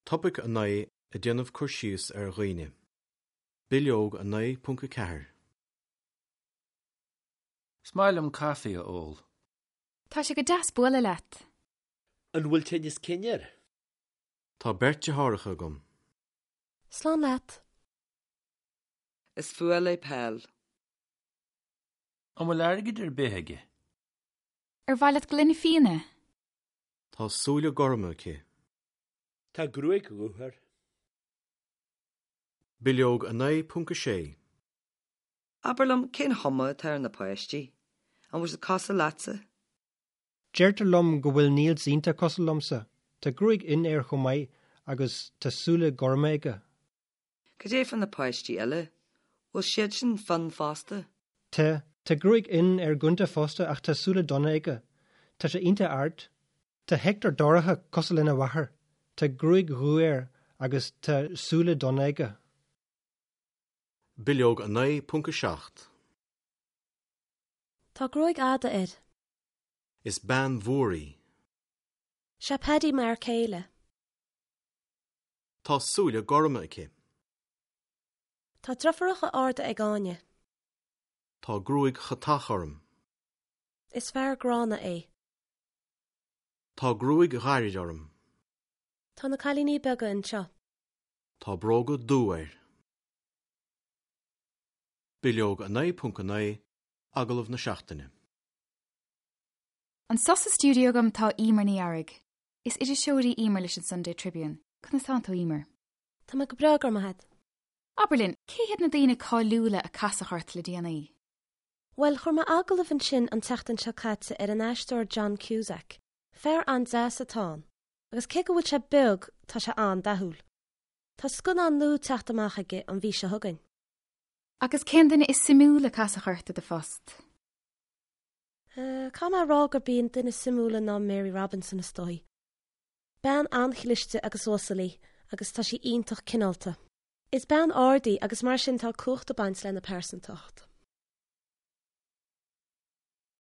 Topaic 9 Ag déanamh cur síos ar dhaoine. Bileog 9.4. Is maith liom caife a ól. Tá sé go deas bualadh leat. An bhfuil tinneas cinn air? Tá beirt deartháireacha agam. Slán leat. Is fuath léi peil. An bhfuil airgead ar bith aige? Ar mhaith leat gloine fíona? Tá súile gorma aici. Tá gruaig dhubh air. Bileog 9.6. Abair liom, cén chuma atá ar na páistí? An bhfuil siad cosúil leatsa? Deirtear liom go bhfuil Niels iontach cosúil liomsa. Tá gruaig fhionn air chomh maith agus tá súile gorma aige. Cad é fá na páistí eile? Bhfuil siadsan fionn fosta? Tá. Tá gruaig fhionn ar Gunther fosta ach tá súile donna aige. Tá sé iontach ard. Tá Hector dorcha cosúil lena mháthair. Tá gruaig dhubh air agus tá súile donna aige. Bileog 9.7. Tá gruaig fhada air. Is bean mhór í. Sé Paddy m'fhear céile. Tá súile gorma aici. Tá deirfiúracha arda ag Áine. Tá gruaig chatach orm. Is fear gránna é. Tá gruaig ghairid orm. Tá na cailíní beaga anseo. Tá bróga dubha air. Bileog 9.9 Agallamh na Seachtaine. Anseo sa stiúideo agam tá Emer Ní Fhearraigh. Is iriseoir í Emer leis an Sunday Tribune. Conas tánn tú, Emer? Tá mé go breá, go raibh maith agat. Abair linn, cé hiad na daoine cáiliúla a casadh ort le déanaí? Bhuel, chuir mé agallamh ansin an tseachtain seo caite ar an aisteoir John Cusack. Fear an-deas atá ann, agus cé go bhfuil sé beag, tá sé an-dathúil. Tá scannán nua ag teacht amach aige an mhí seo chugainn. Agus cén duine is suimiúla a casadh ort i do phost? Eh, caithfidh mé a rá gurb í an duine is suimiúla ná Mary Robinson is dóigh. Bean an-chliste agus uasal í agus tá sí iontach cineálta. Is bean ard í agus mar sin tá cumhacht ag baint lena pearsantacht.